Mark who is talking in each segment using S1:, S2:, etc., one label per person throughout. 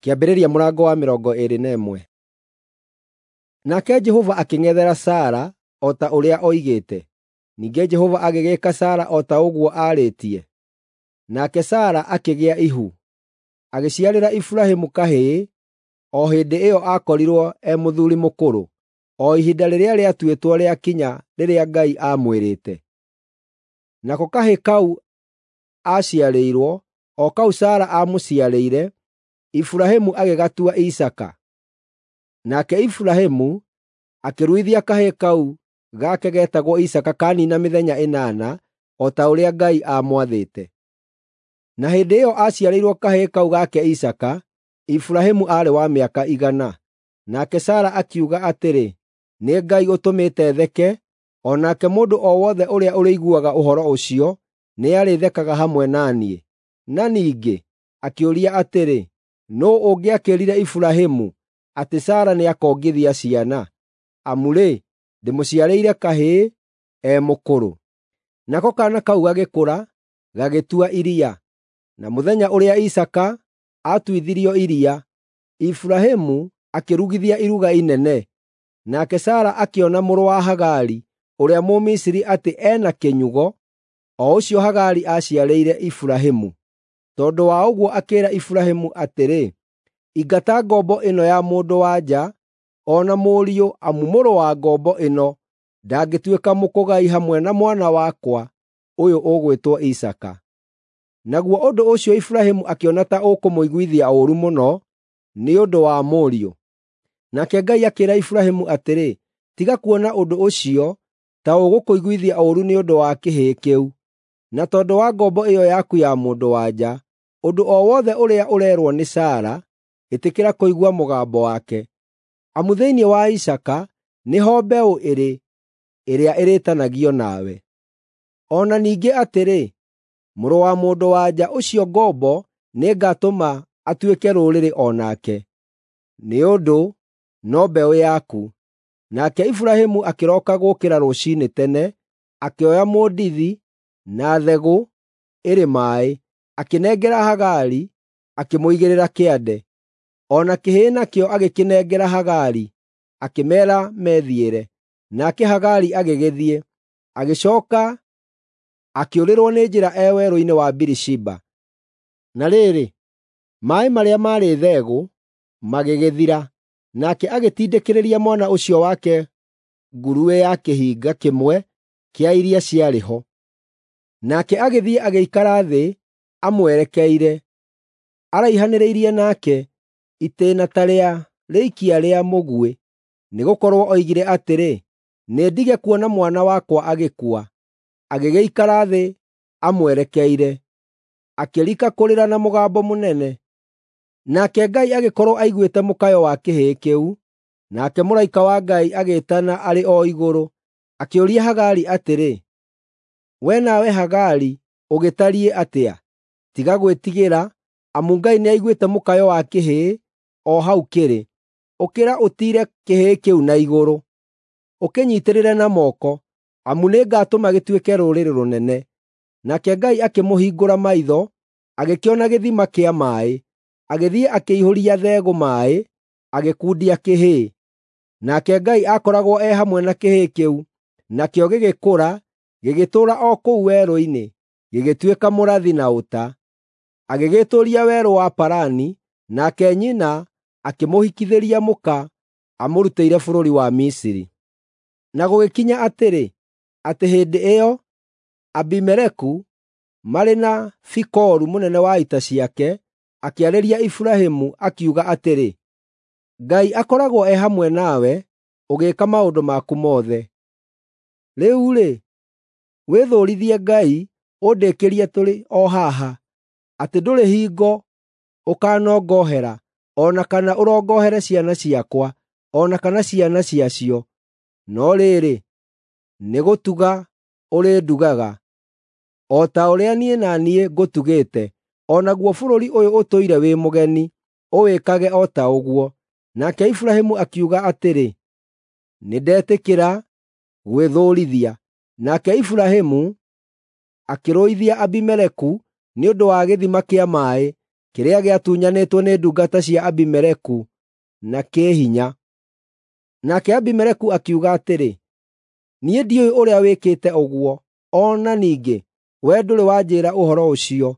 S1: Kĩambĩrĩria mũrango wa 21. Nake Jehova akĩng'ethera Sara o ta ũrĩa oigĩte. Ningĩ Jehova agĩgĩĩka Sara o ta ũguo aarĩtie. Nake Sara akĩgĩa ihu, agĩciarĩra Iburahĩmu kahĩĩ o hĩndĩ ĩyo aakorirwo e mũthuuri mũkũrũ, o ihinda rĩrĩa rĩatuĩtwo rĩakinya rĩrĩa Ngai aamwĩrĩte. Nako kahĩĩ kau aaciarĩirwo, o kau Sara aamũciarĩire, Iburahĩmu agĩgatua Isaaka. Nake Iburahĩmu akĩruithia kahĩĩ kau gake getagwo Isaaka kaaniina mĩthenya 8, o ta ũrĩa Ngai aamwathĩte. Na hĩndĩ ĩyo aaciarĩirwo kahĩĩ kau gake Isaaka, Iburahĩmu aarĩ wa mĩaka 100. Nake Sara akiuga atĩrĩ, “Nĩ Ngai ũtũmĩte theke, o nake mũndũ o wothe ũrĩa ũrĩiguaga ũhoro ũcio nĩarĩthekaga hamwe na niĩ.” Na ningĩ akĩũria atĩrĩ, “Nũũ ũngĩakĩĩrire Iburahĩmu atĩ Sara nĩakongithia ciana? Amu-rĩ, ndĩmũciarĩire kahĩĩ e mũkũrũ.” Nako kaana kau gagĩkũra, gagĩtua iria. Na mũthenya ũrĩa Isaaka aatuithirio iria, Iburahĩmu akĩrugithia iruga inene. Nake Sara akĩona mũrũ wa Hagari ũrĩa Mũmisiri atĩ e na kĩnyugo, o ũcio Hagari aaciarĩire Iburahĩmu. Tondũ wa ũguo akĩĩra Iburahĩmu atĩrĩ, “Ingata ngombo ĩno ya mũndũ-wa-nja o na mũriũ amu mũrũ wa ngombo ĩno ndangĩtuĩka mũkũgai hamwe na mwana wakwa ũyũ ũgwĩtwo Isaaka.” Naguo ũndũ ũcio Iburahĩmu akĩona ta ũkũmũiguithia ũũru mũno nĩ ũndũ wa mũriũ. Nake Ngai akĩĩra Iburahĩmu atĩrĩ, “Tiga kuona ũndũ ũcio ta ũgũkũiguithia ũũru nĩ ũndũ wa kĩhĩĩ kĩu, na tondũ wa ngombo ĩyo yaku ya mũndũ-wa-nja. Ũndũ o wothe ũrĩa ũreerwo nĩ Sara, ĩtĩkĩra kũigua mũgambo wake. Amu thĩinĩ wa Isaaka nĩho mbeũ ĩrĩ ĩrĩa ĩrĩĩtanagio nawe. O na ningĩ atĩrĩ, mũrũ wa mũndũ-wa-nja ũcio ngombo nĩngatũma atuĩke rũrĩrĩ o nake, nĩ ũndũ no mbeũ yaku.” Nake Iburahĩmu akĩroka gũũkĩra rũciinĩ tene, akĩoya mũndithi na thegũ ĩrĩ maaĩ, akĩnengera Hagari, akĩmũigĩrĩra kĩande. O na kĩhĩĩ nakĩo agĩkĩnengera Hagari, akĩmeera methiĩre. Nake Hagari agĩgĩthiĩ, agĩcooka akĩũrĩrwo nĩ njĩra e werũ-inĩ wa Birishiba. Na rĩrĩ, maaĩ marĩa maarĩ thegũ magĩgĩthira, nake agĩtindĩkĩrĩria mwana ũcio wake nguruĩ ya kĩhinga kĩmwe kĩa iria ciarĩ ho. Nake agĩthiĩ agĩikara thĩ amwerekeire, araihanĩrĩirie nake itĩĩna ta rĩa rĩikia rĩa mũguĩ, nĩgũkorwo oigire atĩrĩ, “Nĩndige kuona mwana wakwa agĩkua.” Agĩgĩikara thĩ amwerekeire, akĩrika kũrĩra na mũgambo mũnene. Nake Ngai agĩkorwo aiguĩte mũkayo wa kĩhĩĩ kĩu, nake mũraika wa Ngai agĩĩtana arĩ o igũrũ, akĩũria Hagari atĩrĩ, “Wee nawe Hagari ũgĩtariĩ atĩa? Tiga gwĩtigĩra, amu Ngai nĩaiguĩte mũkayo wa kĩhĩĩ o hau kĩrĩ. Ũkĩra ũtiire kĩhĩĩ kĩu na igũrũ, ũkĩnyiitĩrĩre na moko, amu nĩngatũma gĩtuĩke rũrĩrĩ rũnene.” Nake Ngai akĩmũhingũra maitho, agĩkĩona gĩthima kĩa maaĩ. Agĩthiĩ akĩihũria thegũ maaĩ, agĩkundia kĩhĩĩ. Nake Ngai aakoragwo e hamwe na kĩhĩĩ kĩu, nakĩo gĩgĩkũra, gĩgĩtũũra o kũu werũ-inĩ, gĩgĩtuĩka mũrathi na ũta. Agĩgĩtũũria werũ wa Parani, nake nyina akĩmũhikithĩria mũka amũrutĩire bũrũri wa Misiri. Na gũgĩkinya atĩrĩ, atĩ hĩndĩ ĩyo Abimeleku marĩ na Fikolu mũnene wa ita ciake akĩarĩria Iburahĩmu, akiuga atĩrĩ, “Ngai akoragwo e hamwe nawe ũgĩĩka maũndũ maku mothe. Rĩu-rĩ, wĩthũũrithie Ngai ũndĩkĩrie tũrĩ o haha, atĩ ndũrĩ hingo ũkanongohera, o na kana ũrongohere ciana ciakwa, o na kana ciana ciacio. No rĩrĩ, nĩgũtuga ũrĩndugaga, o ta ũrĩa niĩ na niĩ ngũtugĩte, o naguo bũrũri ũyũ ũtũire wĩ mũgeni, ũwĩkage o ta ũguo.” Nake Iburahĩmu akiuga atĩrĩ, “Nĩndetĩkĩra gwĩthũũrithia.” Nake Iburahĩmu akĩrũithia Abimeleku nĩ ũndũ wa gĩthima kĩa maaĩ. kĩrĩa gĩatunyanĩtwo nĩ ndungata cia Abimeleku na kĩĩhinya. Nake Abimeleku akiuga atĩrĩ, “Niĩ ndiũĩ ũrĩa wĩkĩte ũguo, o na ningĩ wee ndũrĩ wanjĩĩra ũhoro ũcio,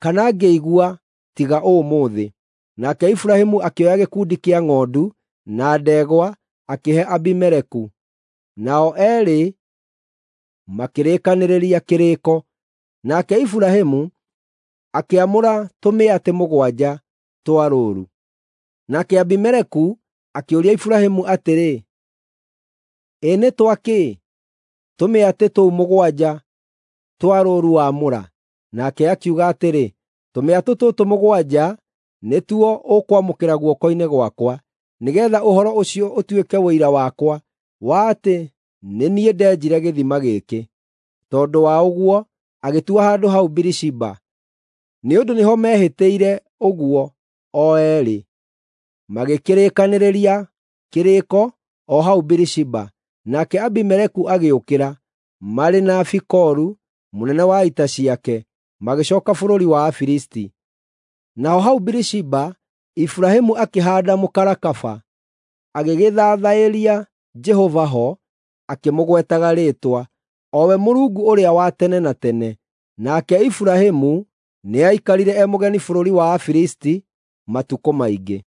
S1: kana ngĩigua tiga ũmũthĩ.” Nake Iburahĩmu akĩoya gĩkundi kĩa ng'ondu na ndegwa akĩhe Abimeleku, nao eerĩ makĩrĩkanĩrĩria kĩrĩĩko. Nake Iburahĩmu akĩamũra tũmĩatĩ 7 twa rũũru. Nake Abimeleku akĩũria Iburahĩmu atĩrĩ, “Ĩ nĩ twa kĩ tũmĩatĩ tũu 7 twa rũũru waamũra?” Nake akiuga atĩrĩ, “Tũmĩatĩ tũtũ 7 nĩtuo ũkwamũkĩra guoko-inĩ gwakwa, nĩgeetha ũhoro ũcio ũtuĩke ũira wakwa wa atĩ nĩ niĩ ndenjire gĩthima gĩkĩ.” Tondũ wa ũguo agĩtua handũ hau Birishiba, nĩ ũndũ nĩho meehĩtĩire ũguo o eerĩ. Magĩkĩrĩkanĩrĩria kĩrĩĩko o hau Birishiba. Nake Abimeleku agĩũkĩra, marĩ na Fikolu mũnene wa ita ciake, magĩcooka bũrũri wa Afilisti. Naho hau Birishiba Iburahĩmu akĩhaanda mũkarakaba, agĩgĩthathaĩria Jehova ho, akĩmũgwetaga rĩĩtwa, o we Mũrungu ũrĩa wa tene na tene. Nake Iburahĩmu nĩaikarire e mũgeni bũrũri wa Afilisti matukũ maingĩ.